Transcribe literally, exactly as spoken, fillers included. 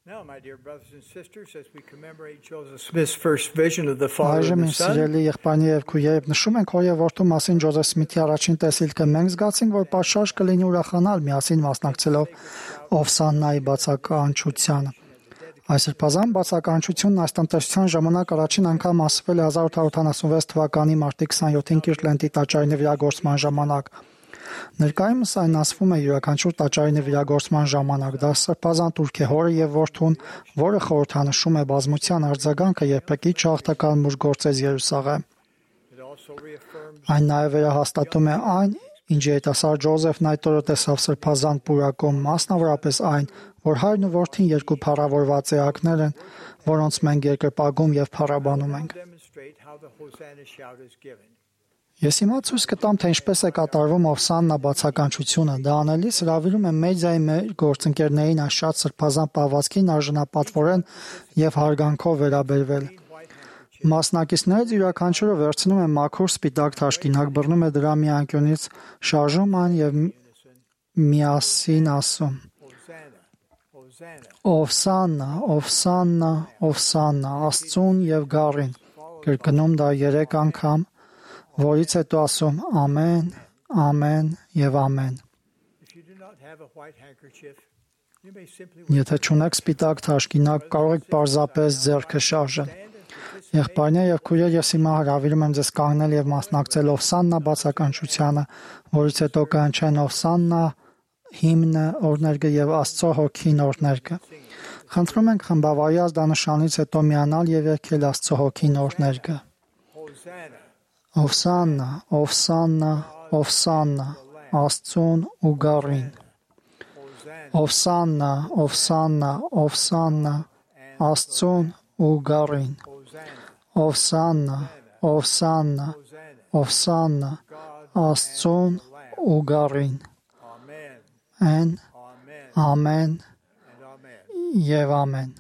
Now, my dear brothers and sisters, as we commemorate Joseph Smith's first vision of the Father Այժմ and the իմ Son, սիրելի եղբայրներ եւ քույրեր, նշում ենք հոր եւ որդու մասին Ջոզեֆ Սմիթի առաջին տեսիլքը, մենք զգացինք, որ պատշաճ կլինի ուրախանալ միասին մասնակցելով Օվսաննայի բացականչությանը։ Այս սրբազան բացականչությունն այս տնտեսության ժամանակ առաջին անգամ ասվել է հազար ութ ութ ութանասունվեց թվականի մարտի քսաներորդ Կիրտլենդի տաճարի նվիրագործման ժամանակ։ Ներկայումս այն ասվում է յուրաքանչյուր տաճարի նվիրագործման ժամանակ։ Դա սրբազան տուրք է հորը եւ որդուն, որը խորհրդանշում է բազմության արձագանքը, երբեք չհաղթական մուշ գործեց Երուսաղեմ։ Այն նաեւ վերահաստատում է այն, ինչ երիտասարդ Ջոզեֆն այդ օրը տեսավ սրբազան պուրակում, մասնավորապես այն, որ հայրն ու որդին երկու փառավորված էակներ են, որոնց մենք երկրպագում եւ փառաբանում ենք։ Ես հիմա ցույց կտամ, թե ինչպես է կատարվում Օվսաննա բացականչությունը։ Դա անելիս հրավիրում եմ մեդիայի մեր գործընկերներին այս շատ սրբազան պահվածքին արժանապատվորեն եւ հարգանքով վերաբերվել։ Մասնակիցներից յուրաքանչյուրը վերցնում է մաքուր սպիտակ թաշկինակ, բռնում է դրա մի անկյունից, շարժում այն եւ միասին ասում. Օվսաննա, Օվսաննա, Օվսաննա, Աստծուն եւ Գառին։ Կրկնում դա երեք անգամ, որից հետո ասում ամեն, ամեն եւ ամեն։ Եթե չունեք սպիտակ թաշկինակ, կարող եք պարզապես ձեռքը շարժել։ Եղբայրներ եւ քույրեր, ես հիմա հրավիրում եմ ձեզ կանգնել եւ մասնակցել Օվսաննա բացականչությանը, որից հետո կանչեն Օվսաննա հիմնը, օրհներգը եւ Աստծո հոգին օրհներգը։ Խնդրում ենք խմբավարի ազդանշանից հետո միանալ եւ երգել Աստծո հոգին օրհներգը։ Օվսաննա, Օվսաննա, Օվսաննա, Աստծուն ու Գառին։ Օվսաննա, Օվսաննա, Օվսաննա, Աստծուն ու Գառին։ Օվսաննա, Օվսաննա, Օվսաննա, Աստծուն ու Գառին։ Ամեն, ամեն եւ ամեն։